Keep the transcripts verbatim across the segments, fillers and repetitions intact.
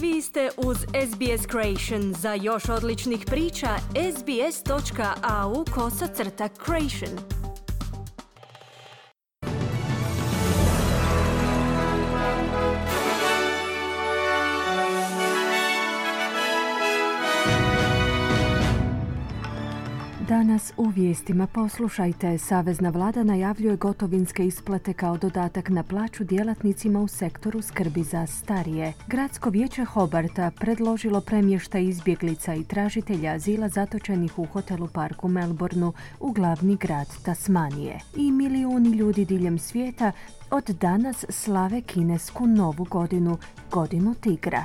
Vi ste uz S B S Creation. Za još odličnih priča, sbs.au kosacrta creation. Danas u vijestima poslušajte. Savezna vlada najavljuje gotovinske isplate kao dodatak na plaću djelatnicima u sektoru skrbi za starije. Gradsko vijeće Hobarta predložilo premještaj izbjeglica i tražitelja azila zatočenih u hotelu Park u Melbourneu u glavni grad Tasmanije. I milijuni ljudi diljem svijeta od danas slave kinesku novu godinu, godinu tigra.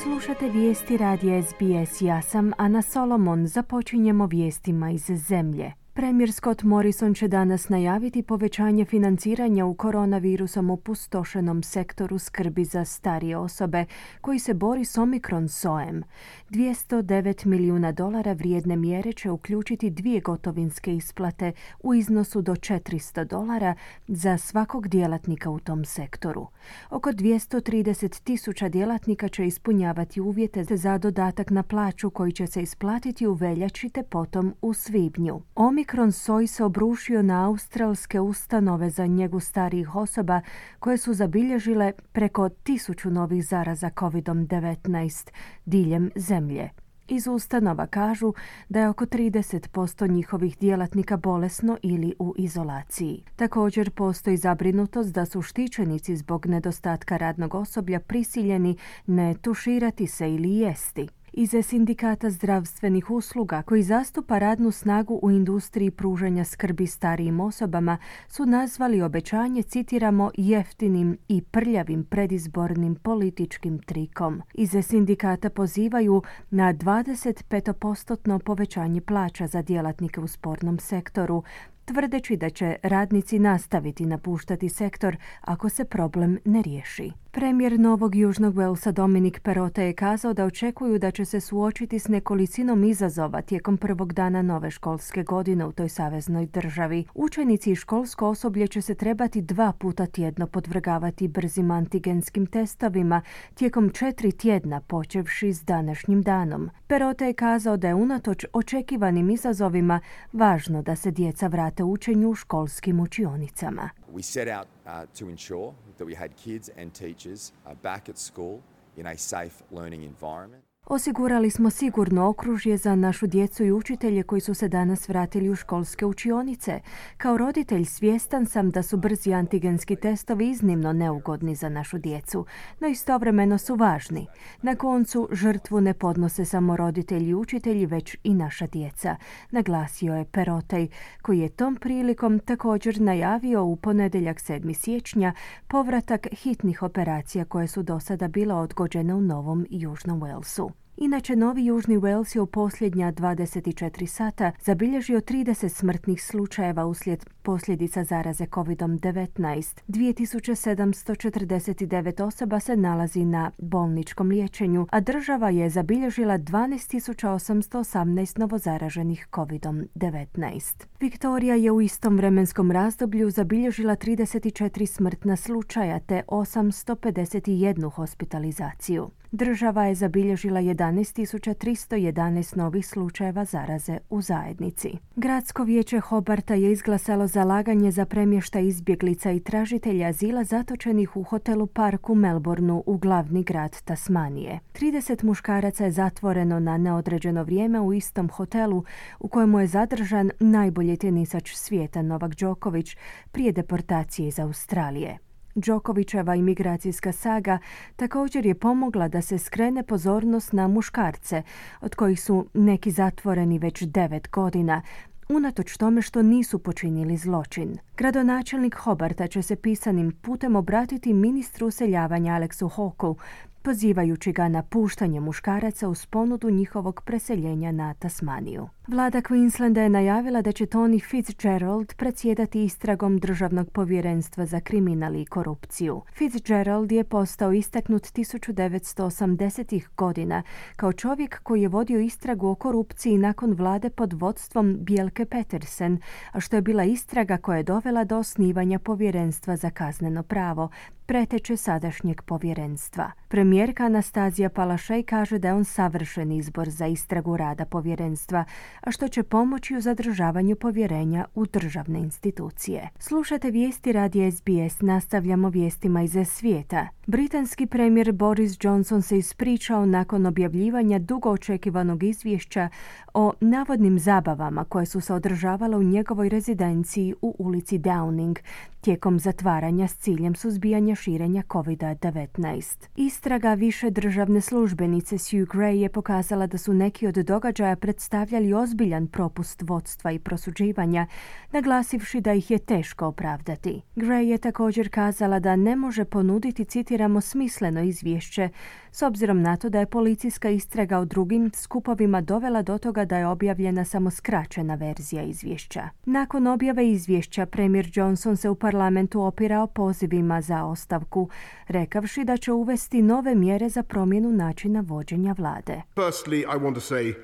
Slušate vijesti radija S B S. Ja sam Ana Solomon. Započinjemo vijestima iz zemlje. Premijer Scott Morrison će danas najaviti povećanje financiranja u koronavirusom opustošenom sektoru skrbi za starije osobe koji se bori s Omikron sojem. dvjesto devet milijuna dolara vrijedne mjere će uključiti dvije gotovinske isplate u iznosu do četiristo dolara za svakog djelatnika u tom sektoru. Oko dvjesto trideset tisuća djelatnika će ispunjavati uvjete za dodatak na plaću koji će se isplatiti u veljači te potom u svibnju. Omikron soj se obrušio na australske ustanove za njegu starijih osoba koje su zabilježile preko tisuću novih zaraza kovid devetnaest diljem zemlje. Iz ustanova kažu da je oko trideset posto njihovih djelatnika bolesno ili u izolaciji. Također postoji zabrinutost da su štićenici zbog nedostatka radnog osoblja prisiljeni ne tuširati se ili jesti. Iz sindikata zdravstvenih usluga koji zastupa radnu snagu u industriji pružanja skrbi starijim osobama su nazvali obećanje, citiramo, jeftinim i prljavim predizbornim političkim trikom. Iz sindikata pozivaju na dvadeset pet posto povećanje plaća za djelatnike u spornom sektoru, tvrdeći da će radnici nastaviti napuštati sektor ako se problem ne riješi. Premijer Novog Južnog Walesa Dominic Perrottet je kazao da očekuju da će se suočiti s nekolicinom izazova tijekom prvog dana nove školske godine u toj saveznoj državi. Učenici i školsko osoblje će se trebati dva puta tjedno podvrgavati brzim antigenskim testovima tijekom četiri tjedna počevši s današnjim danom. Perrottet je kazao da je unatoč očekivanim izazovima važno da se djeca vrate učenju u školskim učionicama. We set out uh, to ensure that we had kids and teachers uh, back at school in a safe learning environment. Osigurali smo sigurno okružje za našu djecu i učitelje koji su se danas vratili u školske učionice. Kao roditelj svjestan sam da su brzi antigenski testovi iznimno neugodni za našu djecu, no istovremeno su važni. Na koncu žrtvu ne podnose samo roditelji i učitelji, već i naša djeca, naglasio je Perrottet, koji je tom prilikom također najavio u ponedjeljak sedmog siječnja povratak hitnih operacija koje su do sada bile odgođene u Novom Južnom Walesu. Inače, Novi Južni Wales je u posljednja dvadeset četiri sata zabilježio trideset smrtnih slučajeva uslijed posljedica zaraze kovid devetnaest. dvije tisuće sedamsto četrdeset devet osoba se nalazi na bolničkom liječenju, a država je zabilježila dvanaest tisuća osamsto osamnaest novozaraženih kovid devetnaest. Viktorija je u istom vremenskom razdoblju zabilježila trideset četiri smrtna slučaja te osamsto pedeset jedan hospitalizaciju. Država je zabilježila jedanaest tisuća tristo jedanaest novih slučajeva zaraze u zajednici. Gradsko vijeće Hobarta je izglasalo zalaganje za premještaj izbjeglica i tražitelja azila zatočenih u hotelu Park u Melbourneu u glavni grad Tasmanije. trideset muškaraca je zatvoreno na neodređeno vrijeme u istom hotelu u kojemu je zadržan najbolji tenisač svijeta Novak Djokovic prije deportacije iz Australije. Djokoviceva imigracijska saga također je pomogla da se skrene pozornost na muškarce, od kojih su neki zatvoreni već devet godina, unatoč tome što nisu počinili zločin. Gradonačelnik Hobarta će se pisanim putem obratiti ministru useljavanja Alexu Hawkeu pozivajući ga na puštanje muškaraca uz ponudu njihovog preseljenja na Tasmaniju. Vlada Queenslanda je najavila da će Tony Fitzgerald predsjedati istragom Državnog povjerenstva za kriminal i korupciju. Fitzgerald je postao istaknut tisuću devetsto osamdesetih godina kao čovjek koji je vodio istragu o korupciji nakon vlade pod vodstvom Bjelke Petersen, a što je bila istraga koja je dovela do osnivanja povjerenstva za kazneno pravo, preteče sadašnjeg povjerenstva. Premijerka Anastazija Palaszczuk kaže da je on savršen izbor za istragu rada povjerenstva, a što će pomoći u zadržavanju povjerenja u državne institucije. Slušate vijesti radija S B S, nastavljamo vijestima iz svijeta. Britanski premijer Boris Johnson se ispričao nakon objavljivanja dugo očekivanog izvješća o navodnim zabavama koje su se održavale u njegovoj rezidenciji u ulici Downing tijekom zatvaranja s ciljem suzbijanja širenja kovid devetnaest. Istraga više državne službenice Sue Gray je pokazala da su neki od događaja predstavljali ozbiljan propust vodstva i prosuđivanja, naglasivši da ih je teško opravdati. Gray je također kazala da ne može ponuditi, citiramo, smisleno izvješće, s obzirom na to da je policijska istraga o drugim skupovima dovela do toga da je objavljena samo skraćena verzija izvješća. Nakon objave izvješća, premijer Johnson se u parlamentu opirao pozivima za ostavku, rekavši da će uvesti nove mjere za promjenu načina vođenja vlade. Firstly, I want to say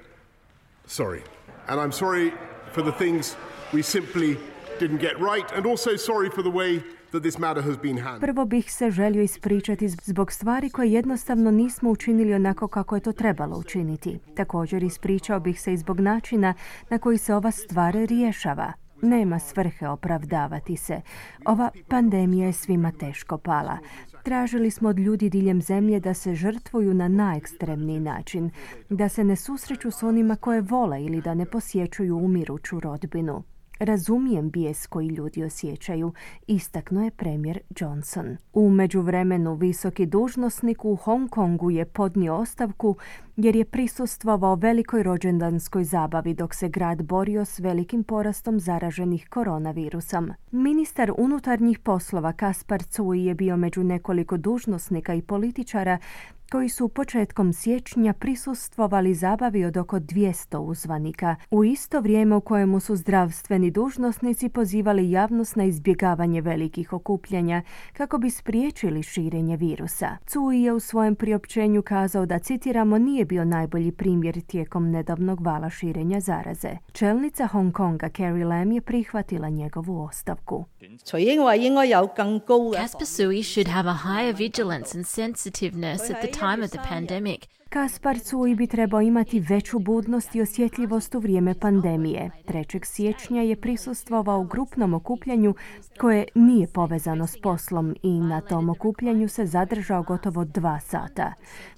sorry. And I'm sorry for the things we simply didn't get right, and also sorry for the way that this matter has been handled. Prvo bih se želio ispričati zbog stvari koje jednostavno nismo učinili onako kako je to trebalo učiniti. Također ispričao bih se i zbog načina na koji se ova stvar rješava. Nema svrhe opravdavati se. Ova pandemija je svima teško pala. Tražili smo od ljudi diljem zemlje da se žrtvuju na najekstremniji način, da se ne susreću s onima koje vole ili da ne posjećuju umiruću rodbinu. Razumijem bijes koji ljudi osjećaju, istaknuo je premijer Johnson. U međuvremenu visoki dužnosnik u Hong Kongu je podnio ostavku jer je prisustvovao velikoj rođendanskoj zabavi dok se grad borio s velikim porastom zaraženih koronavirusom. Ministar unutarnjih poslova Kaspar Cui je bio među nekoliko dužnosnika i političara koji su početkom siječnja prisustvovali zabavi od oko dvjesto uzvanika, u isto vrijeme u kojemu su zdravstveni dužnosnici pozivali javnost na izbjegavanje velikih okupljanja kako bi spriječili širenje virusa. Cui je u svojem priopćenju kazao da, citiramo, nije bio najbolji primjer tijekom nedavnog vala širenja zaraze. Čelnica Hong Konga Carrie Lam je prihvatila njegovu ostavku. Caspar Cui should have a higher vigilance and sensitiveness at the time of the pandemic. Kaspar Cui bi trebao imati veću budnost i osjetljivost u vrijeme pandemije. trećeg siječnja je prisustvovao u grupnom okupljanju koje nije povezano s poslom i na tom okupljanju se zadržao gotovo dva sata.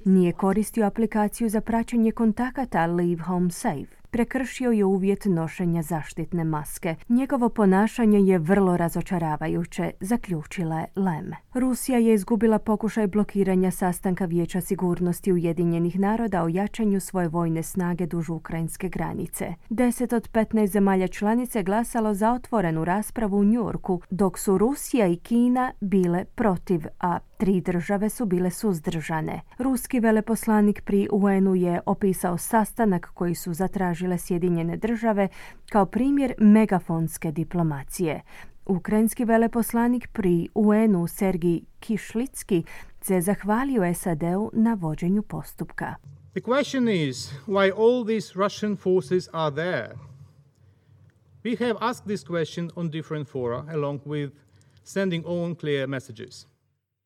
Nije koristio aplikaciju za praćenje kontakata Leave Home Safe. Prekršio je uvjet nošenja zaštitne maske. Njegovo ponašanje je vrlo razočaravajuće, zaključila je Lam. Rusija je izgubila pokušaj blokiranja sastanka Vijeća sigurnosti Ujedinjenih naroda o jačanju svoje vojne snage duž ukrajinske granice. Deset od petnaest zemalja članice glasalo za otvorenu raspravu u Njujorku, dok su Rusija i Kina bile protiv, a tri države su bile suzdržane. Ruski veleposlanik pri U N-u je opisao sastanak koji su zatražile Sjedinjene države kao primjer megafonske diplomacije. Ukrajinski veleposlanik pri U N-u Sergij Kišlicki se zahvalio S A D-u na vođenju postupka. The question is why all these Russian forces are there. We have asked this question on different fora along with sending own clear messages.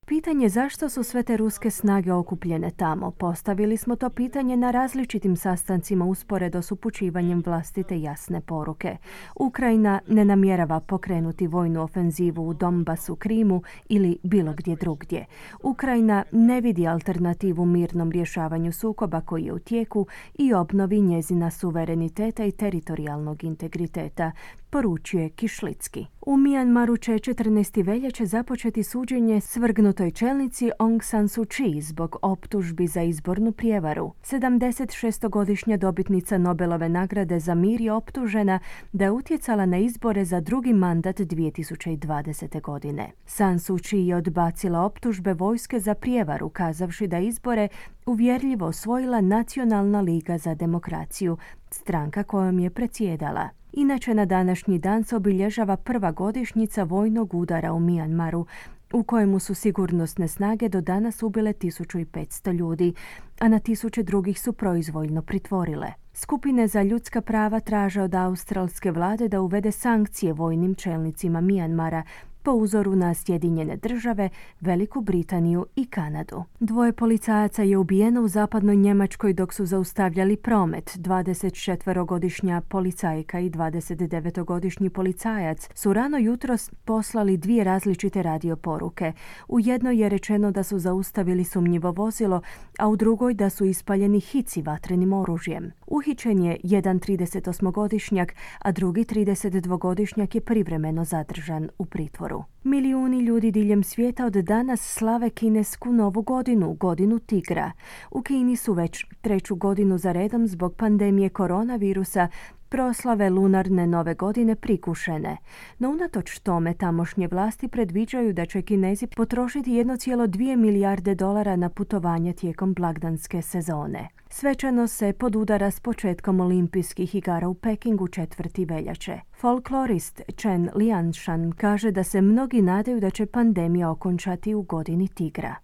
Pitanje zašto su sve te ruske snage okupljene tamo. Postavili smo to pitanje na različitim sastancima usporedo s upućivanjem vlastite jasne poruke. Ukrajina ne namjerava pokrenuti vojnu ofenzivu u Donbasu, Krimu ili bilo gdje drugdje. Ukrajina ne vidi alternativu mirnom rješavanju sukoba koji je u tijeku i obnovi njezina suvereniteta i teritorijalnog integriteta, poručuje Kišlicki. U Mijanmaru će četrnaestog veljače započeti suđenje svrgnutim podignutoj čelnici Aung San Suu Kyi zbog optužbi za izbornu prijevaru. sedamdesetšestogodišnja dobitnica Nobelove nagrade za mir je optužena da je utjecala na izbore za drugi mandat dvije tisuće dvadesete. godine. San Suu Kyi je odbacila optužbe vojske za prijevaru, kazavši da izbore uvjerljivo osvojila Nacionalna liga za demokraciju, stranka kojom je predsjedala. Inače, na današnji dan se obilježava prva godišnjica vojnog udara u Mijanmaru, u kojemu su sigurnosne snage do danas ubile tisuću petsto ljudi, a na tisuće drugih su proizvoljno pritvorile. Skupine za ljudska prava traže od australske vlade da uvede sankcije vojnim čelnicima Mijanmara, po uzoru na Sjedinjene države, Veliku Britaniju i Kanadu. Dvoje policajaca je ubijeno u zapadnoj Njemačkoj dok su zaustavljali promet. dvadesetčetverogodišnja policajka i dvadesetdevetogodišnji policajac su rano jutros poslali dvije različite radio poruke. U jednoj je rečeno da su zaustavili sumnjivo vozilo, a u drugoj da su ispaljeni hici vatrenim oružjem. Uhićen je jedan tridesetosmogodišnjak, a drugi tridesetdvogodišnjak je privremeno zadržan u pritvoru. Milijuni ljudi diljem svijeta od danas slave kinesku novu godinu, godinu tigra. U Kini su već treću godinu za redom zbog pandemije koronavirusa proslave lunarne nove godine prikušene. No unatoč tome tamošnje vlasti predviđaju da će Kinezi potrošiti jedno zarez dvije milijarde dolara na putovanje tijekom blagdanske sezone. Svečano se podudara s početkom olimpijskih igara u Pekingu četvrti veljače. Folklorist Chen Lianshan kaže da se mnogi nadaju da će pandemija okončati u godini tigra.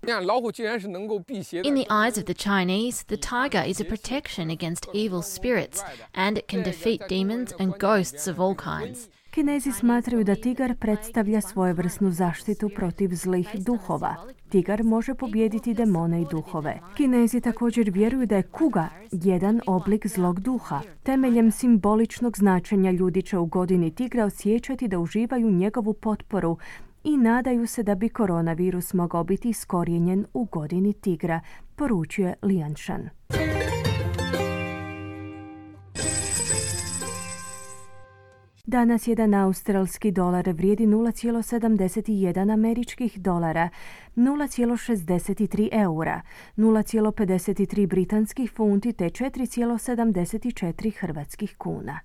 In the eyes of the Chinese, the tiger is a protection against evil spirits, and it can defeat demons and ghosts of all kinds. Kinezi smatraju da tigar predstavlja svojevrsnu zaštitu protiv zlih duhova. Tigar može pobijediti demone i duhove. Kinezi također vjeruju da je kuga jedan oblik zlog duha. Temeljem simboličnog značenja ljudi će u godini tigra osjećati da uživaju njegovu potporu i nadaju se da bi koronavirus mogao biti iskorijenjen u godini tigra, poručuje Lianshan. Danas jedan australski dolar vrijedi nula zarez sedamdeset jedan američkih dolara, nula zarez šezdeset tri eura, nula zarez pedeset tri britanskih funti te četiri zarez sedamdeset četiri hrvatskih kuna.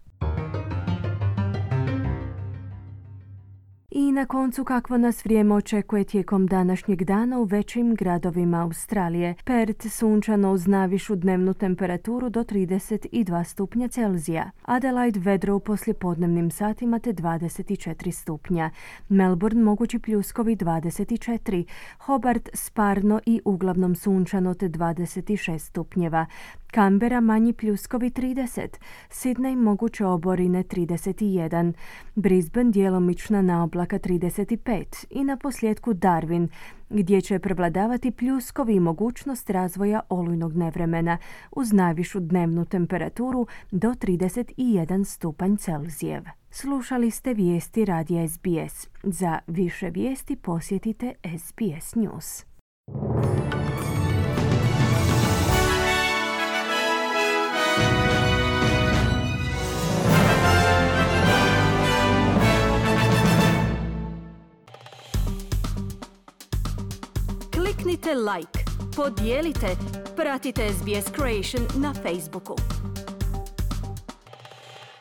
I na koncu kakvo nas vrijeme očekuje tijekom današnjeg dana u većim gradovima Australije. Perth sunčano uz navišu dnevnu temperaturu do trideset dva stupnja Celzija. Adelaide vedro u poslijepodnevnim satima te dvadeset četiri stupnja. Melbourne mogući pljuskovi dvadeset četiri. Hobart sparno i uglavnom sunčano te dvadeset šest stupnjeva. Canberra manji pljuskovi trideset, Sydney moguće oborine trideset jedan, Brisbane djelomična naoblaka trideset pet i na posljedku Darwin, gdje će prevladavati pljuskovi i mogućnost razvoja olujnog nevremena uz najvišu dnevnu temperaturu do trideset jedan stupanj Celzijev. Slušali ste vijesti radija S B S. Za više vijesti posjetite S B S News. Kliknite like, podijelite, pratite S B S Creation na Facebooku.